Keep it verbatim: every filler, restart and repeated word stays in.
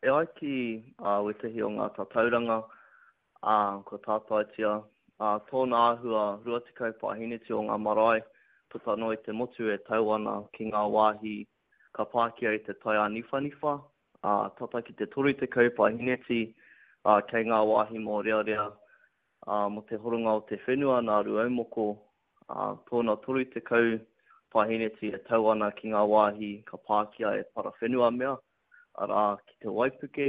E ai ki wētahi o ngā tatauranga, ā, kua tātaitia, ā, tōna āhua rua tekau paeheneti o ngā marae puta noa i te motu e tau ana ki ngā wāhi ka pākia i te tai āniwhaniwha, ā, tata ki te toru tekau paeheneti, ā, kei ngā wāhi mōrearea, ā, mō te horonga o te whenua nā Rūaumoko, ā, tōna toru tekau paeheneti e tau ana ki ngā wāhi ka pākia e parawhenuamea, arā, ki te waipuke.